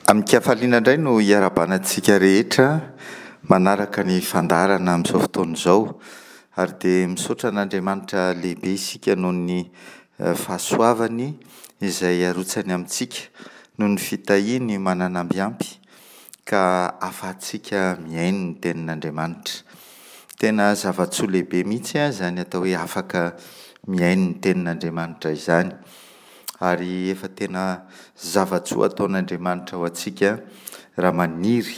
Amin-kafaliana indray no hiarahabana antsika rehetra manaraka ny fandaharana amin'izao fotoana izao ary dia misaotra an'Andriamanitra lehibe isika noho ny fahasoavany izay arotsany amintsika noho ny fitahiany manana amby ampy ka ahafahantsika mihaino ny tenin'Andriamanitra. Tena zava-tsoa lehibe mihitsy izany atao hoe afaka mihaino ny tenin'Andriamanitra izany. Ary efa tena zava-tsoa ataon'Andriamanitra ho antsika raha maniry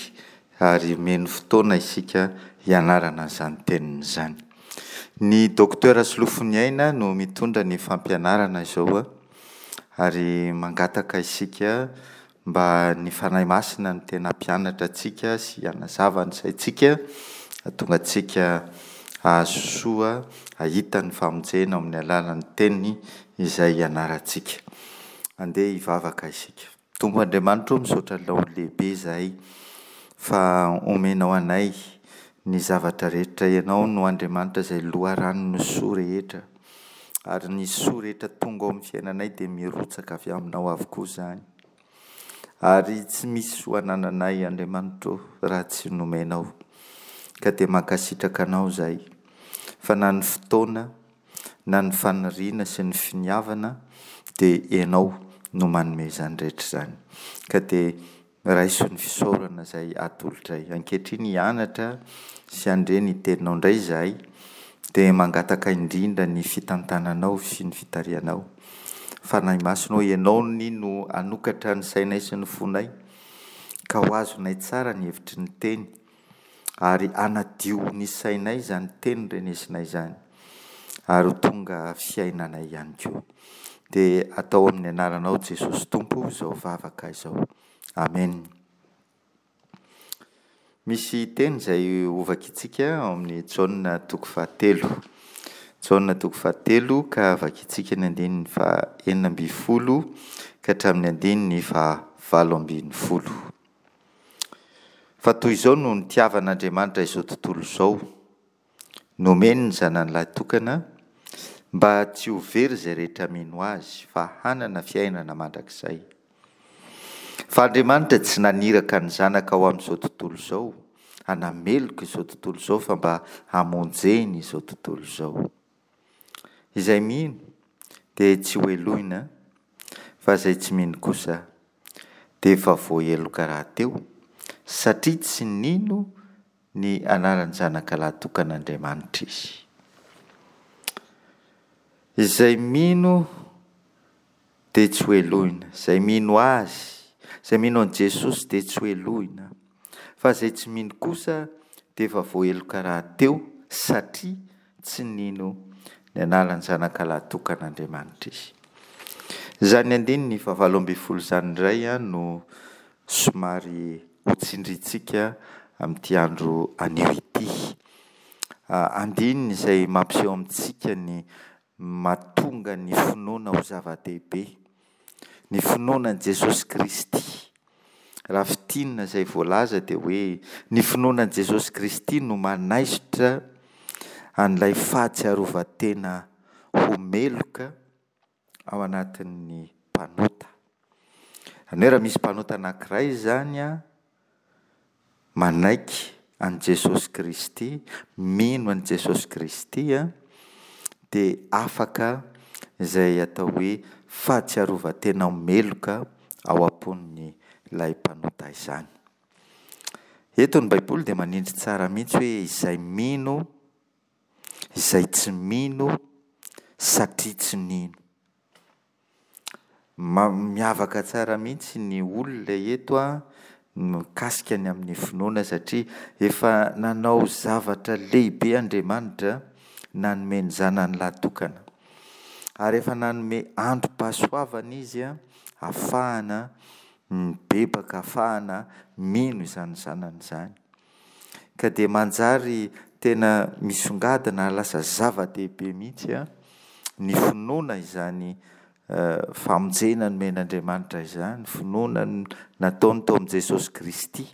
ary omeny fotoana isika hianarana an'izany teniny izany. Ny Docteur Solofoniaina no mitondra ny fampianarana izao ary mangataka isika Mba ny Fanahy Masina no tena hampianatra antsika sy hanazava ny saintsika, hahatonga antsika hahazo soa, hahita ny famonjena ao amin'ny alalan'ny Teniny izay ianarantsika. Andeha hivavaka isika. Tompo Andriamanitra ô, misaotra Anao lehibe izahay fa omenao anay ny zavatra rehetra. Ianao no Andriamanitra izay loharanon'ny soa rehetra. Ary ny soa rehetra tonga ao amin'ny fiainanay dia mirotsaka avy aminao avokoa izany. Ary tsy misy soa anananay Andriamanitra ô raha tsy nomenao. Ka dia mankasitraka anao izahay fa na ny fotoana na ny faniriana sy ny finiavana dia ianao no manome izany rehetra izany. Ka dia Raiso ny fisaorana izay atolotray. Ankehitriny hianatra sy handre ny teninao indray izahay, dia mangataka indrindra ny fitantananao sy ny fitarihanao. Fanahy Masina ô, Ianao anie no hanokatra ny sainay sy ny fonay, ka ho azonay tsara ny hevitry ny teny, ary hanadio ny sainay izany teny renesinay izany, ary ho tonga fiainanay ihany koa. Dia atao amin'ny anaranao Jesosy Tompo izao vavaka izao. Amen. Misy teny izay hovakintsika ao amin'ny Jaona toko fahatelo. Jaona toko fahatelo ka vakintsika ny andininy faha 16 ka hatramin'ny andininy faha 18. Fa toy izao no nitiavan'Andriamanitra izao tontolo izao, Nomeny ny Zanany lahitokana, mba tsy ho very izay rehetra mino Azy, fa hanana fiainana mandrakizay. Fa Andriamanitra tsy naniraka ny Zanaka ho amin'izao tontolo izao, hanameloka izao tontolo izao, fa mba hamonjeny izao tontolo izao. Izay mino dia tsy hohelohina, fa izay tsy mino kosa dia efa voaheloka rahateo, satria tsy nino ny anaran'ny Zanaka Lahitokan'Andriamanitra izy. Izay mino dia tsy hohelohina, izay mino Azy, izay mino an'i Jesosy dia tsy hohelohina, fa izay tsy mino kosa dia efa voaheloka rahateo satria tsy nino ny anaran'ny Zanaka Lahitokan'Andriamanitra izy. Izany andininy fahavalo ambin'ny folo izany indray no somary hotsindrintsika amin'ity andro anio ity. Andininy izay mampiseho amintsika ny mahatonga ny finoana ho zava-dehibe, ny finoana an'i Jesosy Kristy. Raha fintinina izay voalaza dia hoe ny finoana an'i Jesosy Kristy no manaisotra an'ilay fahatsiarovan-tena ho meloka ao anatin'ny mpanota. Izany hoe raha misy mpanota anankiray izany an, manaiky an'i Jesosy Kristy, mino an'i Jesosy Kristy an, dia afaka izay atao hoe fahatsiarovan-tena ho meloka ao am-pon'ilay mpanota izany. Eto ny Baiboly dia manindry tsara mihitsy hoe izay mino izay tsy mino satria tsy nino. Miavaka tsara mihitsy ny olona eto an, mikasika ny amin'ny finoana satria efa nanao zavatra lehibe Andriamanitra nanome ny zanany lahy tokana. Ary efa nanome androm-pahasoavana izy ahafahana mibebaka, ahafahana mino izany zanany izany. Ka dia manjary tena misongadina ary lasa zava-dehibe mihitsy ny finoana izany famonjena nomen'Andriamanitra izany, finoana nataony tao amin'i Jesosy Kristy.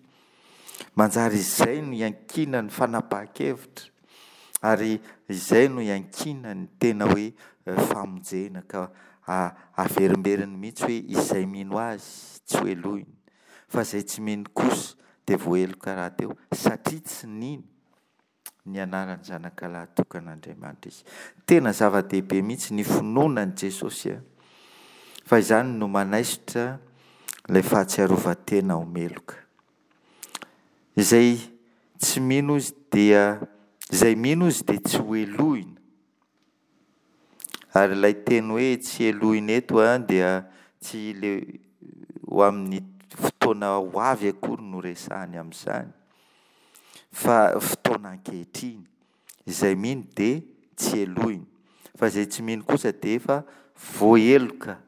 Manjary izay no iankinan'ny fanapahan-kevitra ary izay no iankinan'ny tena hoe famonjena ka averimberiny mihitsy hoe izay mino Azy tsy hohelohina. Fa izay tsy mino kosa dia voaheloka rahateo, satria tsy nino ny anaran'ny Zanakalahy tokan'Andriamanitra izy. Tena zava-dehibe mihitsy ny finoana an'i Jesosy fa izany no manaisotra ilay fahatsiarovan-tena ho meloka. Izay tsy mino izy dia izay mino izy dia tsy ho helohina. Ary ilay teny hoe tsy helohina eto dia tsy ilay ho amin'ny fotoana ho avy akory no resahany amin'izany fa fotoana ankehitriny. Izay mino dia tsy helohina fa izay tsy mino kosa dia efa voaheloka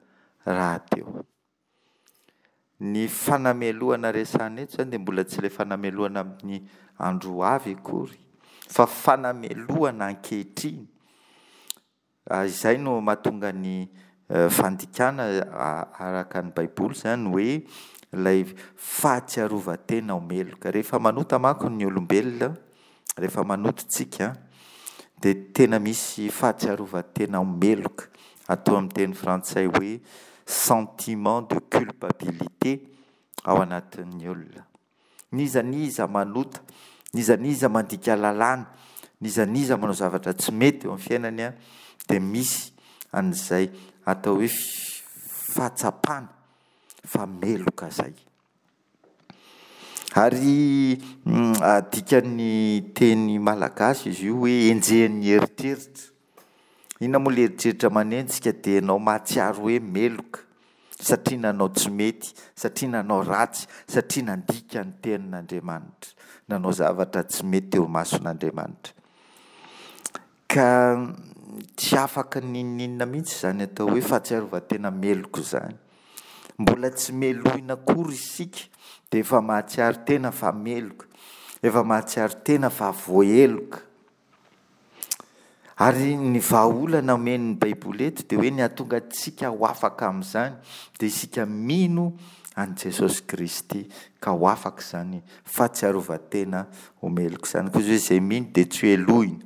rahateo. Ny fanamelohana resahina eto izany dia mbola tsy ilay fanamelohana amin'ny andro ho avy akory fa fanamelohana ankehitriny. Izay no mahatonga ny fandikana araka ny Baiboly izany hoe ilay fahatsiarovan-tena ho meloka. Rehefa manota manko ny olombelona, rehefa manota isika dia tena misy fahatsiarovan-tena ho meloka, atao amin'ny teny frantsay hoe sentiment de culpabilité ao anatin'ny olona. N'iza n'iza manota, n'iza n'iza mandika lalàna, n'iza n'iza manao zavatra tsy mety eo amin'ny fiainany dia misy an'izay atao hoe fahatsapana fa meloka izay. Ary adikan'ny teny malagasy izy io hoe enjehin'ny eritreritra. Inona moa ilay eritreritra manenjika dia ianao mahatsiaro hoe meloka satria nanao tsy mety, satria nanao ratsy, satria nandika ny tenin'Andriamanitra, nanao zavatra tsy mety teo imason'Andriamanitra. Ka tsy afaka n'inon'inona mihitsy izany atao hoe fahatsiarovan-tena meloka izany. Mbola tsy melohina akory isika dia efa mahatsiaro tena fa meloka, efa mahatsiaro tena fa voaheloka. Ary ny vahaolana omen'ny Baiboly eto dia hoe ny hahatonga antsika ho afaka amin'izany dia isika mino an'i Jesosy Kristy ka ho afaka izany fahatsiarovan-tena ho meloka izany. Koa izay izay mino dia tsy hohelohina.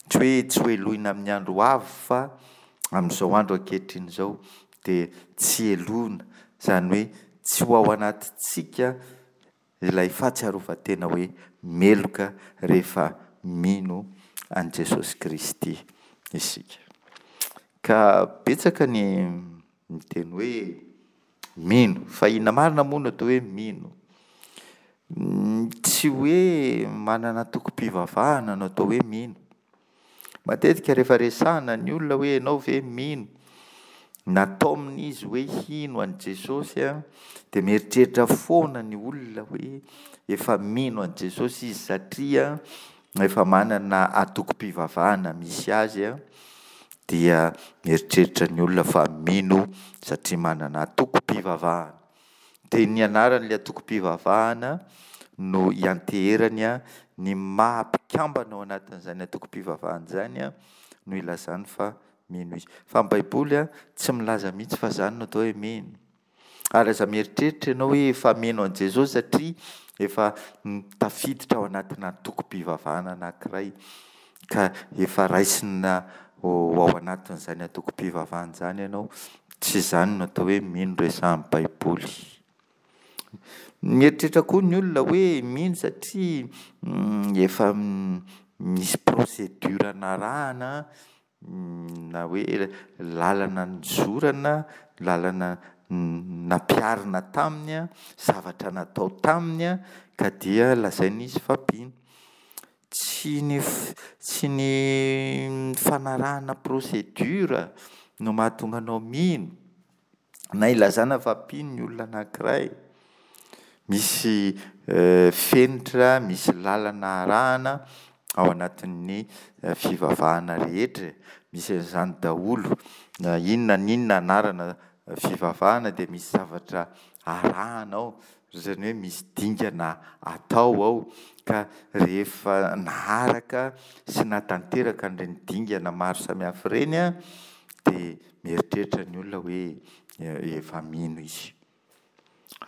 Tsy hoe tsy hohelohina amin'ny andro ho avy fa amin'izao andro ankehitriny izao dia tsy helohina. Izany hoe tsy ho ao anatintsika ilay fahatsiarovan-tena hoe meloka rehefa mino an'i Jesosy Kristy isika. Ka betsaka ny miteny hoe mino, fa inona marina moa no atao hoe mino? Tsy hoe manana antokom-pivavahana no atao hoe mino. Matetika rehefa resahana ny olona hoe ianao ve mino, na taomina izy hoe hino an'i Jesosy dia mieritreritra foana ny olona hoe efa mino an'i Jesosy izy satria efa manana antokom-pivavahana misy azy dia mieritreritra ny olona fa mino satria manana antokom-pivavahana. Dia ny anaran'ilay antokom-pivavahana no ianteherany ny maha mpikambana ao anatin'izany antokom-pivavahana izany no ilazany fa mino izy. Fa ny Baiboly tsy milaza mihitsy fa izany no atao hoe mino. Ary aza mieritreritra ianao hoe efa mino an'i Jesosy satria efa tafiditra ao anatina antokom-pivavahana anankiray ka efa raisina ho ao anatin'izany antokom-pivavahana izany ianao. Tsy izany no atao hoe mino resahin'ny Baiboly. Mieritreritra koa ny olona hoe mino satria efa misy procédure narahana na hoe lalana nizorana, lalana nampiharina taminy, zavatra natao taminy ka dia lazaina izy fa mpino. Tsy ny tsy ny fanarahana procédure no mahatonga anao mino na ilazana fa mpino ny olona anankiray. Misy fenitra, misy lalana arahana ao anatin'ny fivavahana rehetra e. Misy an'izany daholo. Na inona na inona anarana fivavahana dia misy zavatra arahana ao. Izany hoe misy dingana atao ao ka rehefa naharaka sy nahatanteraka an'ireny dingana maro samihafa ireny dia mieritreritra ny olona hoe efa mino izy.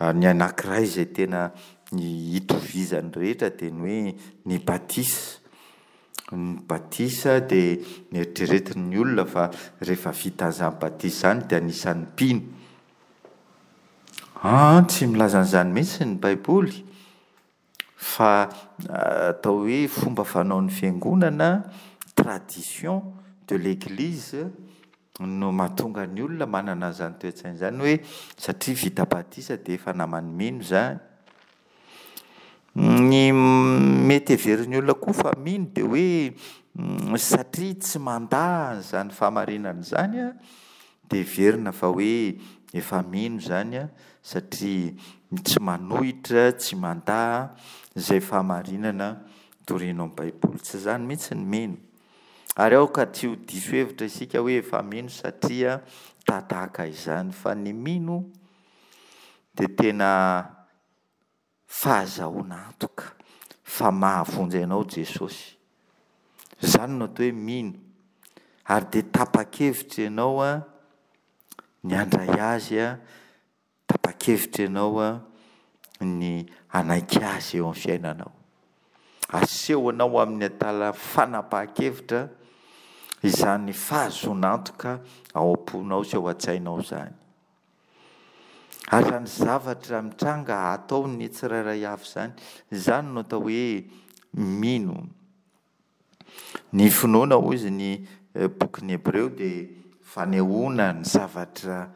Ary ny anankiray izay tena itovizan'ny rehetra dia ny hoe ny batisa. Ny batisa dia eritreretin'ny olona fa rehefa vita an'izany batisa izany dia anisan'ny mpino. An, tsy milaza an'izany mihitsy ny Baiboly fa atao hoe fomba fanaon'ny fiangonana, tradition de l'eglise no mahatonga ny olona manana an'izany toe-tsaina izany hoe satria vita batisa dia efa naman'ny mino izany. Ny mety heverin'ny olona koa fa mino dia hoe satria tsy mandà an'izany fahamarinana izany an, dia heverina fa hoe efa mino izany an, satria tsy manohitra, tsy mandà izay fahamarinana toriana ao amin'ny Baiboly. Tsy izany mihitsy ny mino. Ary aoka tsy ho diso hevitra isika hoe efa mino satria tatahaka izany, fa ny mino dia tena fahazahoana antoka fa mahavonjy anao Jesosy. Izany no atao hoe mino. Ary dia tapa-kevitra ianao ny handray Azy, tapa-kevitra ianao ny hanaiky Azy eo amin'ny fiainanao. Asehonao amin'ny alalan'ny fanapahan-kevitra izany fahazoana antoka ao am-ponao sy ao an-tsainao izany. Ary izany zavatra mitranga ataon'ny tsirairay avy izany, izany no atao hoe mino. Ny finoana hoy izy ny bokin'ny Hebreo dia fanehoana ny zavatra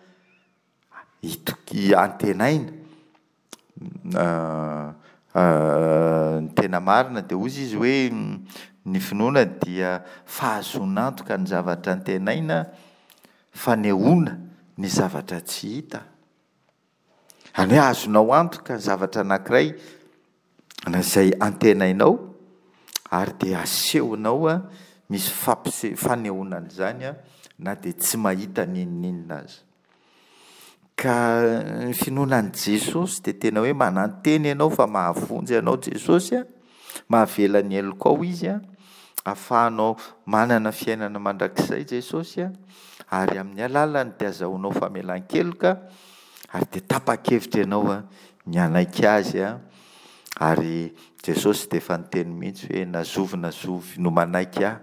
itoki- antenaina. Ny tena marina dia hoy izy hoe ny finoana dia fahazoana antoka ny zavatra antenaina, fanehoana ny zavatra tsy hita. Izany hoe azonao antoka ny zavatra anankiray na izay antenainao ary dia asehonao misy fampise- fanehoana an'izany na dia tsy mahita n'inon'inona aza. Ka ny finoana an'i Jesosy dia tena hoe manantena ianao fa mahavonjy anao Jesosy an, mahavela ny helokao Izy an, ahafahanao manana fiainana mandrakizay Jesosy an, ary amin'ny alalany dia azahoanao famelan-keloka ary dia tapa-kevitra ianao an ny hanaiky Azy an, ary Jesosy dia efa niteny mihitsy hoe na zovy na zovy no manaiky Ahy,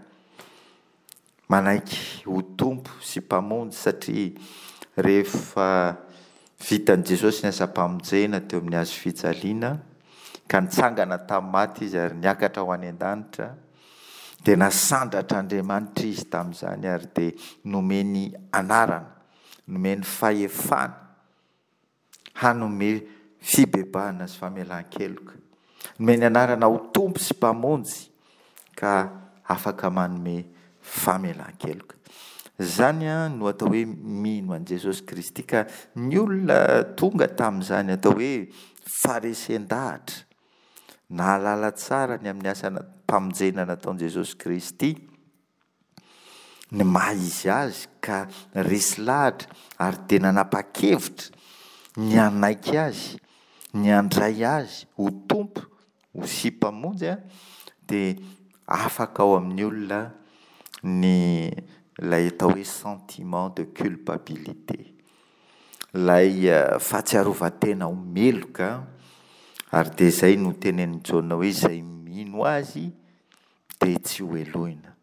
Manaiky ho Tompo sy Mpamonjy satria rehefa vitan'i Jesosy ny asam-pamonjena teo amin'ny hazo fijaliana ka nitsangana tamin'ny maty Izy ary niakatra ho any an-danitra dia nasandratr'Andriamanitra Izy tamin'izany ary dia nomeny anarana, nomeny fahefana hanome fibebahana sy famelan-keloka. Nomeny anarana ho Tompo sy Mpamonjy ka afaka manome famelan-keloka. Izany no atao hoe mino an'i Jesosy Kristy ka ny olona tonga tamin'izany atao hoe faharesen-dahatra, nahalala tsara ny amin'ny asam-pamonjena nataon'i Jesosy Kristy, ny maha izy azy ka resy lahatra ary dia nanapa-kevitra ny hanaiky azy, ny handray azy ho Tompo ho sy Mpamonjy dia afaka ao amin'ny olona ny ilay atao hoe sentiment de culpabilité, ilay fahatsiarovan-tena ho meloka ary dia izay no tenenin'i Jaona hoe izay mino azy dia tsy ho helohina.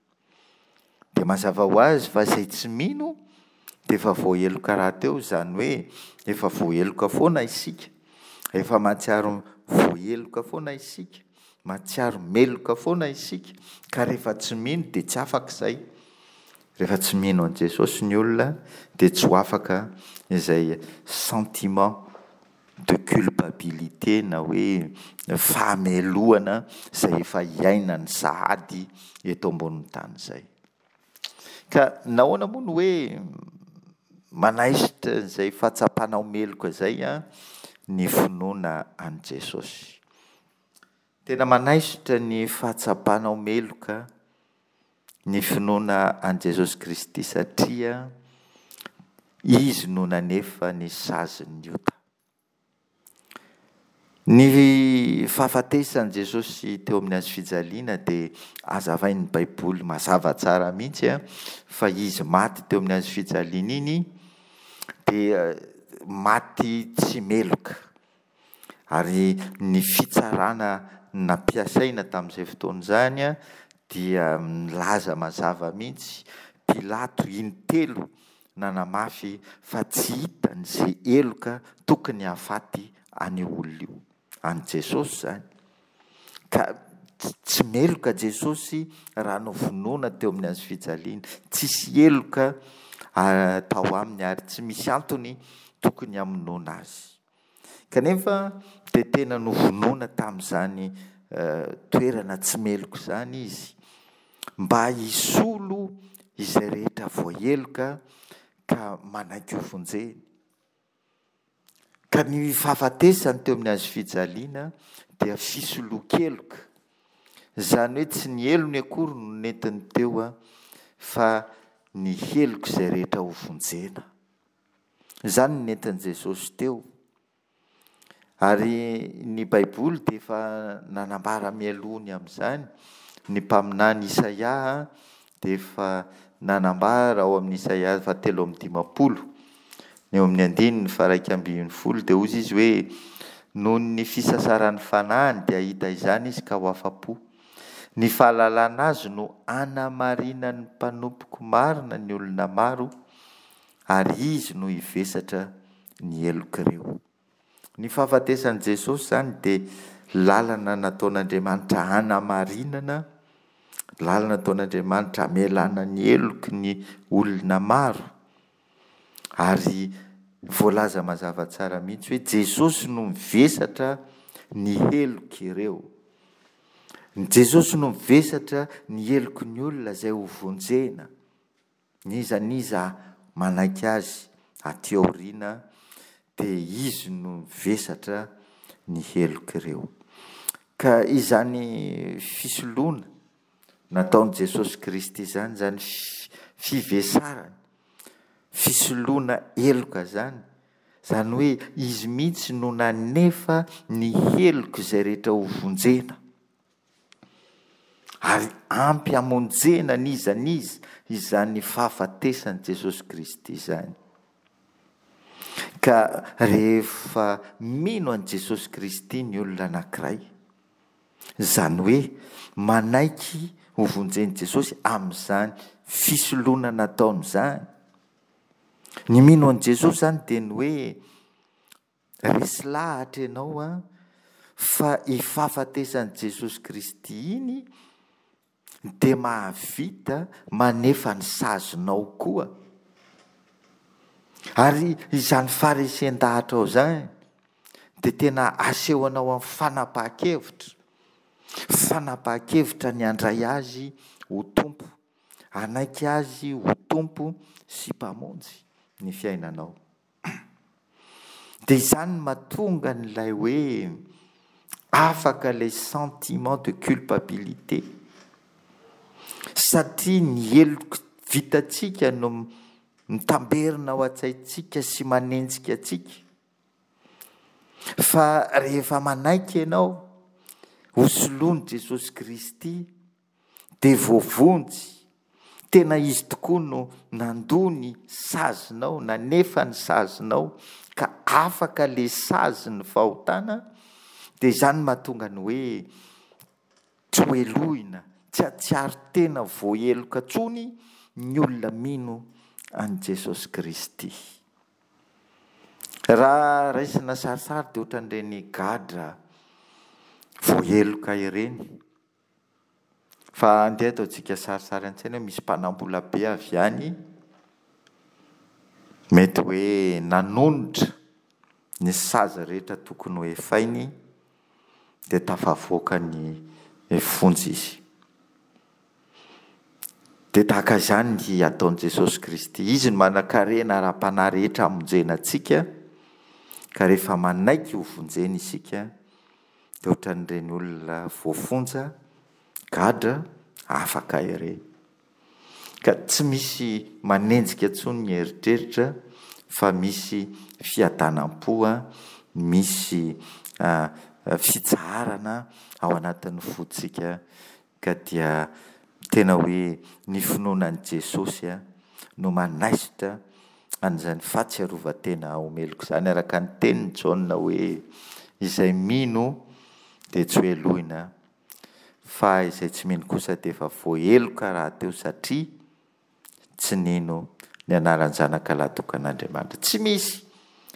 Dia mazava ho azy fa izay tsy mino dia efa voaheloka rahateo, izany hoe efa voaheloka foana isika, efa mahatsiaro voaheloka foana isika, mahatsiaro meloka foana isika, ka rehefa tsy mino dia tsy afaka izay. Rehefa tsy mino an'i Jesosy ny olona dia tsy ho afaka izay sentiment de culpabilité na hoe fahamelohana izay efa iainany sahady eto ambonin'ny tany izay. Ka nahoana moa no hoe manaisotra izay fahatsapana ho meloka izay ny finoana an'i Jesosy? Tena manaisotra ny fahatsapana ho meloka ny finoana an'i Jesosy Kristy satria Izy no nanefa ny sazin'ny ota. Ny fahafatesan'i Jesosy teo amin'ny hazo fijaliana dia hazavain'ny Baiboly mazava tsara mihitsy fa Izy maty teo amin'ny hazo fijaliana iny dia maty tsy meloka. Ary ny fitsarana nampiasaina tamin'izay fotoana izany dia milaza mazava mihitsy, Pilato intelo. nanamafy fa tsy hitany izay heloka tokony hahafaty an'io olona io. An'i Jesosy izany. Ka tsy meloka Jesosy raha novonoina teo amin'ny hazo fijaliana. Tsisy heloka tao aminy ary tsy misy antony tokony hamonoana azy. Kanefa dia tena novonoina tamin'izany toerana tsy meloka izany izy mba hisolo izay rehetra voaheloka ka manaiky hovonjeny. Ka ny fahafatesany teo amin'ny hazo fijaliana dia fisoloan-keloka. Izany hoe tsy ny helony akory no nentiny teo fa ny helok'izay rehetra hovonjena. Izany no nentin'i Jesosy teo. Ary ny Baiboly dia efa nanambara mialoha ny amin'izany. Ny mpaminany Isaia dia efa nanambara ao amin'ny Isaia fahatelo amby dimampolo, eo amin'ny andininy faha-iraika ambin'ny folo dia hozy izy hoe, Noho ny fisasaran'ny fanahiny dia hahita izany izy ka ho afa-po. Ny fahalalana azy no hanamarinan'ny mpanompoko marina ny olona maro, ary izy no hivesatra ny helok'ireo. Ny fahafatesan'i Jesosy izany dia lalana nataon'Andriamanitra hanamarinana, lalana nataon'Andriamanitra hamelana ny heloky ny olona maro. Ary voalaza mazava tsara mihitsy hoe Jesosy no mivesatra ny helok'ireo. Jesosy no mivesatra ny heloky ny olona izay ho vonjena. N'iza n'iza manaiky azy aty aoriana dia izy no mivesatra ny helok'ireo. Ka izany fisoloana nataon'i Jesosy Kristy izany, izany fivesarana, fisoloana heloka izany, izany hoe izy mihitsy no nanefa ny helok'izay rehetra ho vonjena. Ary ampy hamonjena n'iza n'iza izany fahafatesan'i Jesosy Kristy izany. Ka rehefa mino an'i Jesosy Kristy ny olona anankiray, izany hoe manaiky ho vonjen'i Jesosy amin'izany fisoloana nataony izany, ny mino an'i Jesosy izany dia ny hoe Resy lahatra ianao an, fa i fahafatesan'i Jesosy Kristy iny dia mahavita manefa ny sazinao koa. Ary izany faharesen-dahatrao izany dia tena asehonao amin'ny fanapahan-kevitra, fanapahan-kevitra ny handray Azy ho Tompo, hanaiky Azy ho Tompo sy Mpamonjy ny fiainanao. Dia izany no mahatonga an'ilay hoe afaka ilay sentiment de culpabilité. Satria ny heloka vitantsika no mitamberina ao an-tsaintsika sy manenjika antsika. Fa rehefa manaiky ianao ho soloin'i Jesosy Kristy, dia voavonjy, tena izy tokoa no nandoa ny sazinao, nanefa ny sazinao ka afaka le sazin'ny fahotana, dia izany mahatonga ny hoe tsy ho helohina, tsy hahatsiaro tena voaheloka intsony ny olona mino an'i Jesosy Kristy. Raha raisina sarisary dia ohatran'ireny gadra voaheloka ireny. Fa andeha ataontsika sarisary an-tsaina hoe misy mpanambola be avy any, mety hoe nanonitra ny sazy rehetra tokony ho efainy dia tafavoaka ny fonja izy. Dia tahaka izany ny ataon'i Jesosy Kristy. Izy no manan-karena ara-panahy rehetra hamonjena antsika, ka rehefa manaiky ho vonjena isika, Dia ohatran'ireny olona voafonja, gadra, afaka ireny. Ka tsy misy manenjika intsony ny eritreritra fa misy fiadanam-po, misy fitsaharana ao anatin'ny fontsika Ka dia tena hoe ny finoana an'i Jesosy no manaisotra an'izany fahatsiarovan-tena ho meloka izany, araka ny tenin'i Jaona hoe, Izay mino dia tsy hohelohina, fa izay tsy mino kosa dia efa voaheloka rahateo satria tsy nino ny anaran'ny Zanaka Lahitokan'Andriamanitra. Tsy misy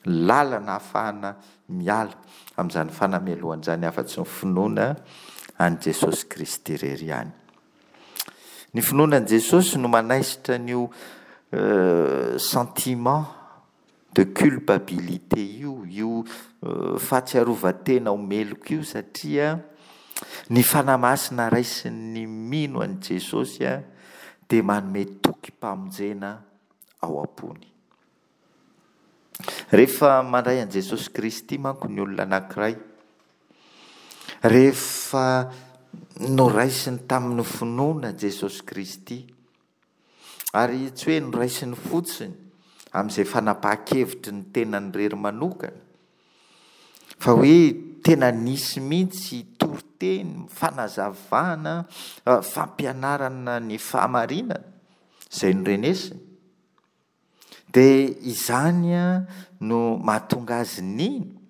lalana ahafahana miala amin'izany fanamelohana izany afa-tsy ny finoana an'i Jesosy Kristy irery ihany. Ny finoana an'i Jesosy no manaisotra an'io sentiment de culpabilité io, io fahatsiarovan-tena ho meloka io satria ny Fanahy Masina raisin'ny mino an'i Jesosy dia manome tokim-pamonjena ao am-pony. Rehefa mandray an'i Jesosy Kristy manko ny olona anankiray, rehefa noraisiny tamin'ny finoana Jesosy Kristy, ary tsy hoe noraisiny fotsiny amin'izay fanapahan-kevitry ny tenany irery manokana, fa hoe tena nisy mihitsy toriteny, fanazavana, fampianarana ny fahamarinana izay norenesiny. Dia izany no mahatonga azy nino.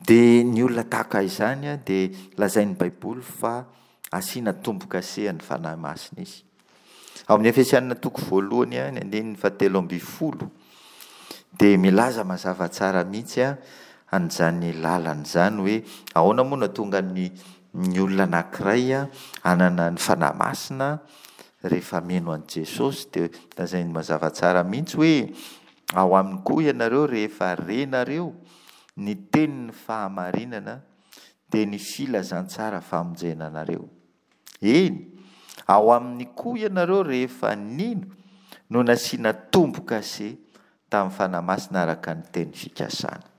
Dia ny olona tahaka izany dia lazain'ny Baiboly fa asiana tombo-kase an'ny Fanahy Masina izy. Ao amin'ny Efesianina toko voalohany, ny andininy fahatelo ambin'ny folo, dia milaza mazava tsara mihitsy an'izany lalana izany hoe ahoana moa no hahatonga ny ny olona anankiray hanana ny Fanahy Masina rehefa mino an'i Jesosy dia lazainy mazava tsara mihitsy hoe ao aminy koa ianareo rehefa renareo ny tenin'ny fahamarinana dia ny filazantsara famonjena anareo. Eny, ao aminy koa ianareo rehefa nino no nasiana tombo-kase tamin'ny Fanahy Masina araka ny teny fikasana.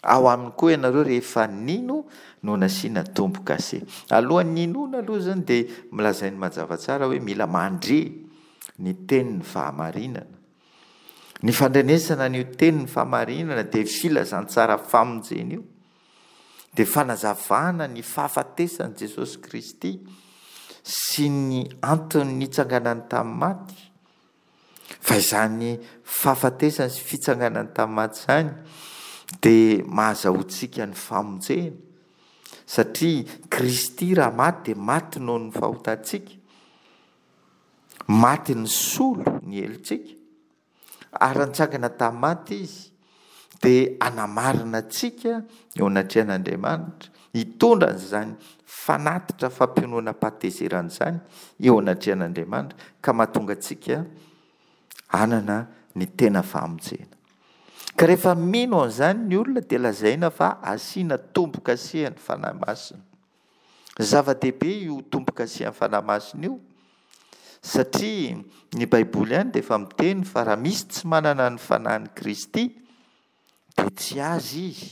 Ao aminy koa ianareo rehefa nino no nasiana tombo-kase. Alohan'ny hinoana aloha izany dia milazainy mazava tsara hoe mila mandre ny tenin'ny fahamarinana. Ny fandrenesana an'io tenin'ny fahamarinana dia filazantsara famonjena io. Dia fanazavana ny fahafatesan'i Jesosy Kristy sy ny antony nitsanganany tamin'ny maty. Fa izany fahafatesany sy fitsanganany tamin'ny maty izany dia mahazahoantsika ny famonjena, satria Kristy raha maty dia maty noho ny fahotantsika, maty nisolo ny helotsika, ary raha nitsangana tamin'ny maty Izy dia hanamarina antsika eo anatrehan'Andriamanitra, hitondra an'izany fanatitra fampiononam-pahatezerana izany eo anatrehan'Andriamanitra ka mahatonga antsika hanana ny tena famonjena. Ka rehefa mino an'izany ny olona dia lazaina fa asiana tombo-kase ny Fanahy Masina. Zava-dehibe io tombo-kase amin'ny Fanahy Masina io satria ny Baiboly ihany dia efa miteny fa raha misy tsy manana ny Fanahin'i Kristy dia tsy azy izy.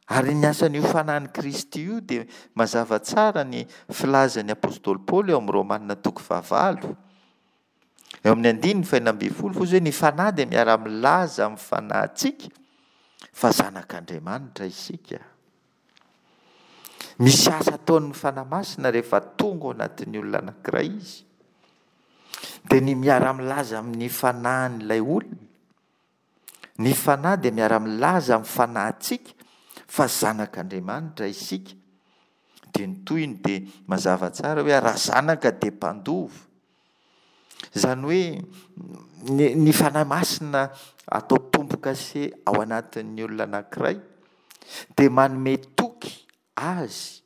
Ary ny asan'io Fanahin'i Kristy io dia mazava tsara ny filazan'ny apostoly Paoly ao amin'ny Romana toko fahavalo. Eo amin'ny andininy fahenina ambin'ny folo hozy hoe ny Fanahy dia miara-milaza amin'ny fanahintsika fa zanak'Andriamanitra isika. Misy asa ataon'ny Fanahy Masina rehefa tonga ao anatin'ny olona anankiray izy. Dia ny miara-milaza amin'ny fanahin'ilay olona. Ny Fanahy dia miara-milaza amin'ny fanahintsika fa zanak'Andriamanitra isika. Dia ny tohiny dia mazava tsara hoe raha zanaka dia mpandova. Izany hoe ny, ny Fanahy Masina atao tombo-kase ao anatin'ny olona anankiray dia manome toky azy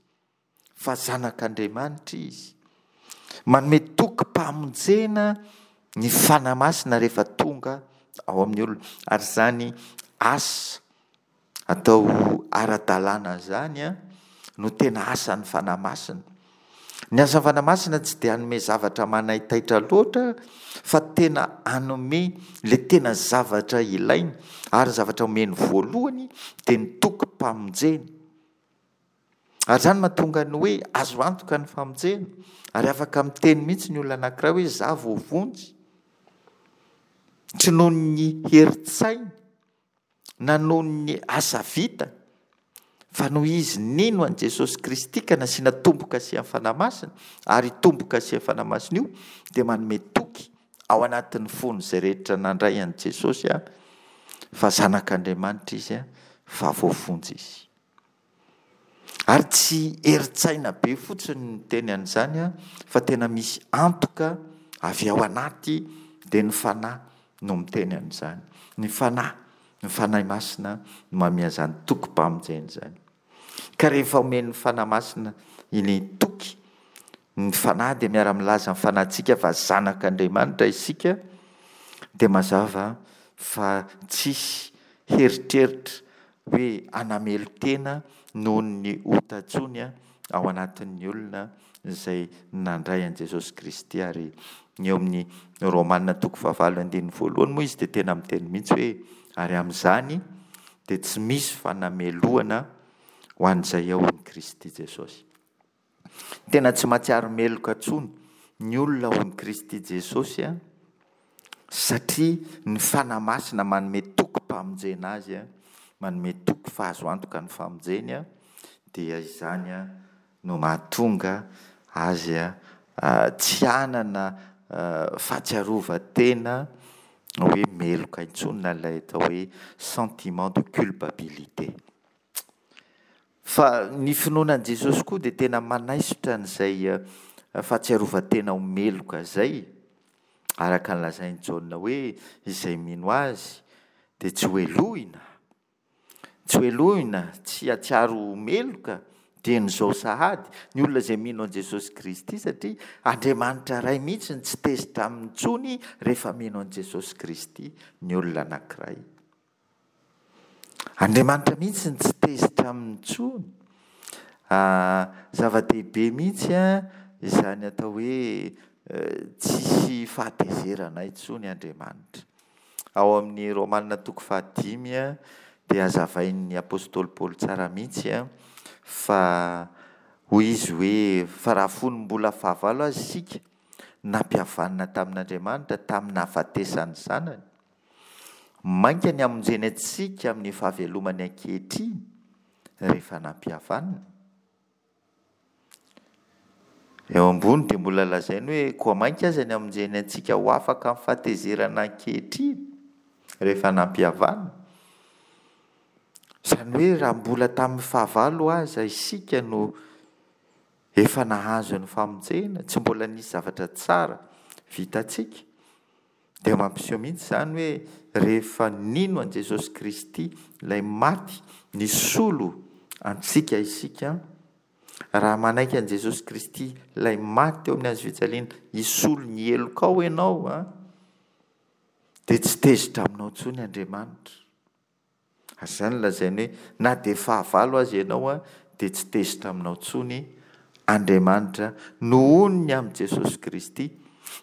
fa zanak'Andriamanitra izy. Manome tokim-pamonjena ny Fanahy Masina rehefa tonga ao amin'ny olona. Ary izany asa atao ara-dalàna izany no tena asan'ny Fanahy Masina. Ny asan'ny Fanahy Masina tsy dia hanome zavatra manaitaitra loatra fa tena hanome ilay tena zavatra ilaina ary ny zavatra omeny voalohany dia ny tokim-pamonjena. Ary izany mahatonga ny hoe azo antoka ny famonjena, ary afaka miteny mihitsy ny olona anankiray hoe izaho voavonjy. Tsy noho ny herin-tsainy na noho ny asa vitany, fa noho izy nino an'i Jesosy Kristy ka nasiana tombo-kasihan'ny Fanahy Masina, ary io tombo-kasihan'ny Fanahy Masina io dia manome toky ao anatin'ny fon'izay rehetra nandray an'i Jesosy fa zanak'Andriamanitra izy, fa voavonjy izy. Ary tsy herin-tsaina be fotsiny ny miteny an'izany fa tena misy antoka avy ao anaty Dia ny Fanahy no miteny an'izany. Ny Fanahy, ny Fanahy Masina no manome an'izany tokim-pamonjena izany. Ka rehefa omen'ny Fanahy Masina ilay toky, ny Fanahy dia miara-milaza amin'ny fanahintsika fa zanak'Andriamanitra isika, dia mazava fa tsisy heritreritra hoe hanamelo-tena noho ny ota intsony ao anatin'ny olona izay nandray an'i Jesosy Kristy. Ary eo amin'ny Romana toko fahavalo andininy voalohany moa izy dia tena miteny mihitsy hoe ary amin'izany dia tsy misy fanamelohana ho an'izay ao amin'i Kristy Jesosy. Tena tsy mahatsiaro meloka intsony ny olona ao amin'i Kristy Jesosy satria ny Fanahy Masina manome tokim-pamonjena azy, manome toky fa azo antoka ny famonjeny, dia izany no mahatonga azy tsy hanana fahatsiarovan-tena hoe meloka intsony na ilay atao hoe sentiment de culpabilité. Fa ny finoana an'i Jesosy koa dia tena manaisotra an'izay fahatsiarovan-tena ho meloka izay, araka ny lazain'i Jaona hoe izay mino azy dia tsy ho helohina, tsy ho helohina, tsy hahatsiaro ho meloka dieny izao sahady ny olona izay mino an'i Jesosy Kristy satria Andriamanitra Ray mihitsy no tsy tezitra aminy intsony rehefa mino an'i Jesosy Kristy ny olona anankiray. Andriamanitra mihitsy no tsy tezitra aminy intsony. Zava-dehibe mihitsy izany atao hoe tsisy fahatezerana intsony Andriamanitra. Ao amin'ny Romana toko fahadimy dia hazavain'ny apostoly Paoly tsara mihitsy fa hoy izy hoe fa raha fony mbola fahavalo aza isika, nampihavanina tamin'Andriamanitra tamin'ny nahafatesan'ny Zanany. Mainka ny hamonjeny antsika amin'ny fahavelomany ankehitriny rehefa nampihavanina. Eo ambony dia mbola lazainy hoe koa mainka aza ny hamonjeny antsika ho afaka amin'ny fahatezerana ankehitriny rehefa nampihavanina. Izany hoe raha mbola tamin'ny fahavalo aza isika no efa nahazo ny famonjena, tsy mbola nisy zavatra tsara vitantsika. Dia mampiseho mihitsy izany hoe rehefa nino an'i Jesosy Kristy, ilay maty nisolo antsika isika, raha manaiky an'i Jesosy Kristy, ilay maty teo amin'ny hazo fijaliana hisolo ny helokao ianao, dia tsy tezitra aminao intsony Andriamanitra. Ary izany no lazainy hoe na dia fahavalo aza ianao dia tsy tezitra aminao intsony Andriamanitra nohon'ny amin'i Jesosy Kristy,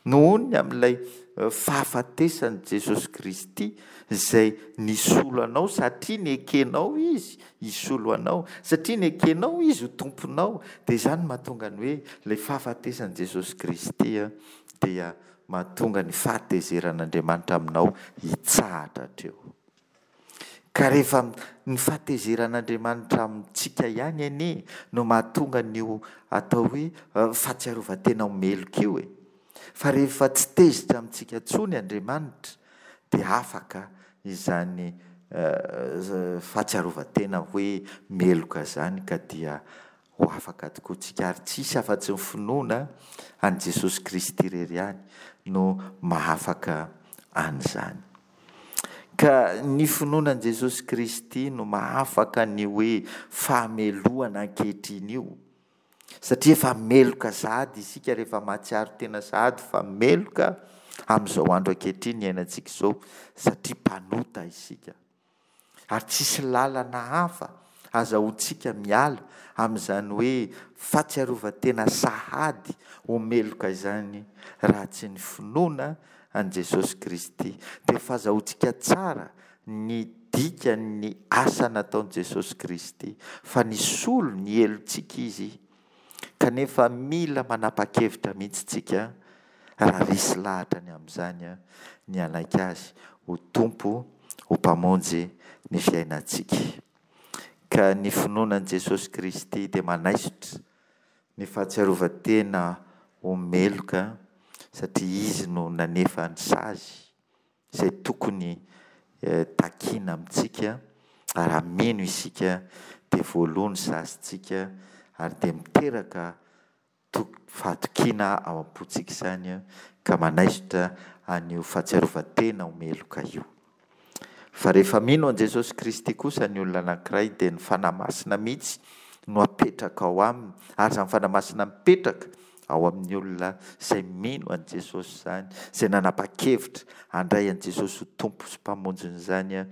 nohon'ny amin'ilay fahafatesan'i Jesosy Kristy izay nisolo anao satria nekenao Izy hisolo anao, satria nekenao Izy ho Tomponao, dia izany no mahatonga ny hoe ilay fahafatesan'i Jesosy Kristy dia mahatonga ny fahatezeran'Andriamanitra aminao hitsahatra hatreo. Ka rehefa ny fahatezeran'Andriamanitra amintsika ihany anie no mahatonga an'io atao hoe fahatsiarovan-tena ho meloka io e. Fa rehefa tsy tezitra amintsika intsony Andriamanitra dia afaka izany fahatsiarovan-tena hoe meloka izany ka dia ho afaka tokoa tsika ary tsy hisy afa-tsy ny finoana an'i Jesosy Kristy irery ihany no mahafaka an'izany. Ka ny finoana an'i Jesosy Kristy no mahafaka ny hoe fahamelohana ankehitriny io. Satria efa meloka sahady isika rehefa mahatsiaro tena sahady fa meloka amin'izao andro ankehitriny iainantsika izao satria mpanota isika. Ary tsisy lalana hafa azahoantsika miala amin'izany hoe fahatsiarovan-tena sahady ho meloka izany raha tsy ny finoana an'i Jesosy Kristy. Dia fazahoantsika tsara ny dikan'ny asa nataon'i Jesosy Kristy fa nisolo ny helotsika Izy Kanefa mila manapa-kevitra mihitsy tsika raha resy lahatra ny amin'izany ny hanaiky Azy ho Tompo, ho Mpamonjy ny fiainantsika. Ka ny finoana an'i Jesosy Kristy dia manaisotra ny fahatsiarovan-tena ho meloka satria Izy no nanefa ny sazy. izay tokony takiana amintsika, ary raha mino isika dia voaloa ny sazintsika ary dia miteraka. fahatokiana ao am-pontsika izany ka manaisotra an'io fahatsiarovan-tena ho meloka io. Fa rehefa mino an'i Jesosy Kristy kosa ny olona anankiray dia ny Fanahy Masina mihitsy no apetraka ao aminy, ary izany Fanahy Masina mipetraka ao amin'ny olona izay mino an'i Jesosy izany, izay nanapa-kevitra handray an'i Jesosy ho Tompo sy Mpamonjiny izany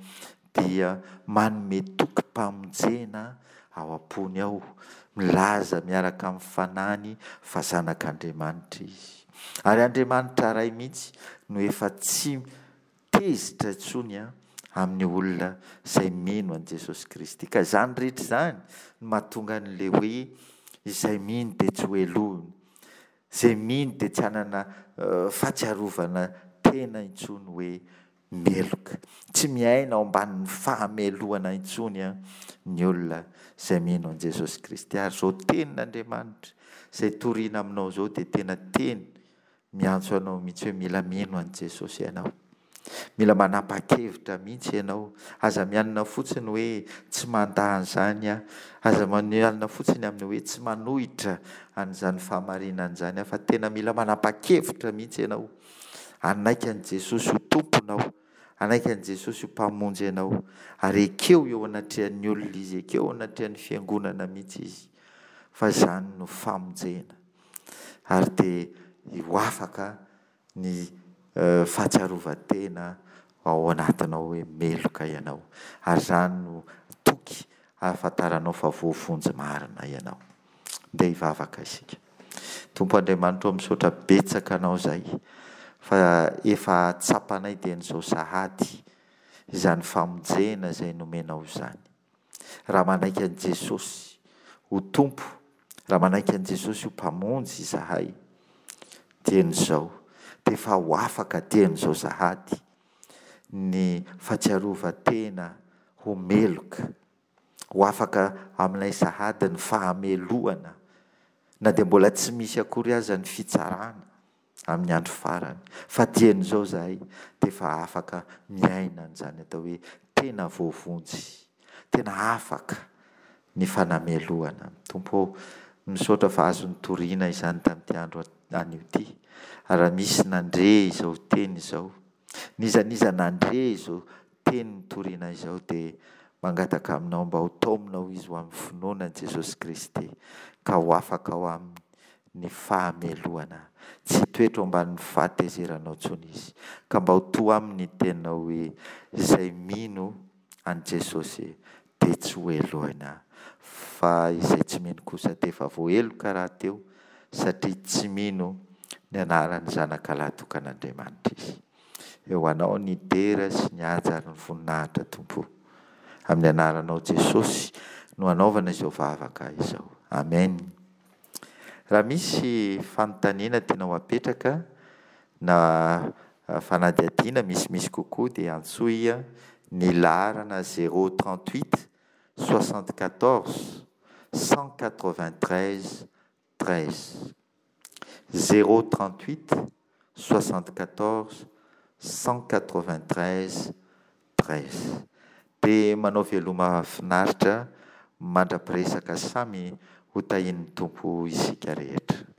dia manome tokim-pamonjena ao am-pony ao, milaza miaraka amin'ny fanahiny fa zanak'Andriamanitra izy. Ary Andriamanitra Ray mihitsy no efa tsy tezitra intsony amin'ny olona izay mino an'i Jesosy Kristy. Ka izany rehetra izany no mahatonga an'ilay hoe izay mino dia tsy hohelohina, izay mino dia tsy hanana fahatsiarovana tena intsony hoe meloka. Tsy miaina ao ambanin'ny fahamelohana intsony ny olona izay mino an'i Jesosy Kristy. Ary izao tenin'Andriamanitra izay torina aminao izao dia tena teny miantso anao mihitsy hoe mila mino an'i Jesosy ianao. Mila manapa-kevitra mihitsy ianao. Aza mianina fotsiny hoe tsy mandà an'izany aho. Aza mianina fotsiny amin'ny hoe tsy manohitra an'izany fahamarinana izany aho fa tena mila manapa-kevitra mihitsy ianao. Hanaiky an'i Jesosy ho Tomponao, hanaiky an'i Jesosy ho Mpamonjy anao, ary ekeo eo anatrehan'ny olona Izy, ekeo eo anatrehan'ny fiangonana mihitsy Izy, fa izany no famonjena. Ary dia ho afaka ny fahatsiarovan-tena ao anatinao hoe meloka ianao. Ary izany no toky ahafantaranao fa voavonjy marina ianao. Ndeha hivavaka isika. Tompo Andriamanitra ô misaotra betsaka Anao izahay fa efa tsapanay dieny izao sahady izany famonjena izay nomenao izany. Raha manaiky an'i Jesosy ho Tompo, raha manaiky an'i Jesosy ho Mpamonjy izahay dieny izao dia efa ho afaka dieny izao sahady ny fahatsiarovan-tena ho meloka Ho afaka aminay sahady ny fahamelohana, na dia mbola tsy misy akory aza ny fitsarana amin'ny andro farany. Fa dieny izao izahay dia efa afaka miaina an'izany atao hoe tena voavonjy, tena afaka ny fanamelohana. Tompo ô, misaotra fa azo nitoriana izany tamin'ity andro anio ity. Ary raha misy nandre izao teny izao, n'iza n'iza nandre izao teny nitoriana izao dia mangataka aminao mba ho taominao izy ho amin'ny finoana an'i Jesosy Kristy ka ho afaka ao aminy ny fahamelohana. Tsy hitoetra ao ambanin'ny fahatezeranao intsony izy ka mba ho to aminy ny teninao hoe izay mino an'i Jesosy dia tsy ho helohina fa izay tsy mino kosa dia efa voaheloka rahateo satria tsy mino ny anaran'ny Zanakalahy tokan'Andriamanitra izy. Eo anao ny dera sy ny haja ary ny voninahitra Tompo o. Amin'ny anaranao Jesosy no anaovana izao vavaka izao. Amen. Raha misy fanontaniana tianao apetraka na fanadihadiana misimisy kokoa dia antsoy ny laharana 038 74 193 13. 0 38 74 193 13. Dia manao veloma finaritra mandra-piresaka samy ho tahian'ny Tompo isika rehetra.